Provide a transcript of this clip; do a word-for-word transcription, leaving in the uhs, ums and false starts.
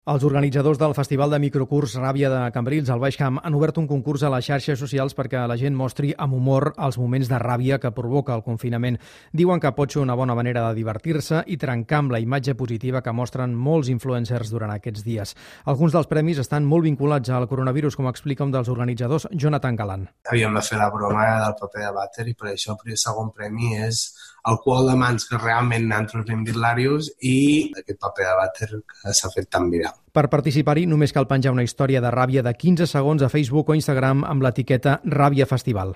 Els organitzadors del Festival de Microcurs Ràbia de Cambrils, al Baix Camp, han obert un concurs a les xarxes socials perquè la gent mostri amb humor els moments de ràbia que provoca el confinament. Diuen que pot ser una bona manera de divertir-se i trencar amb la imatge positiva que mostren molts influencers durant aquests dies. Alguns dels premis estan molt vinculats al coronavirus, com explica un dels organitzadors, Jonathan Galan. Havíem de fer la broma del paper de vàter i per això el segon premi és alcohol de mans que realment nosaltres hem dit l'Àrius i aquest paper de vàter que s'ha fet tan viral. Per participar-hi només cal penjar una història de ràbia de quinze segons a Facebook o Instagram amb l'etiqueta Ràbia Festival.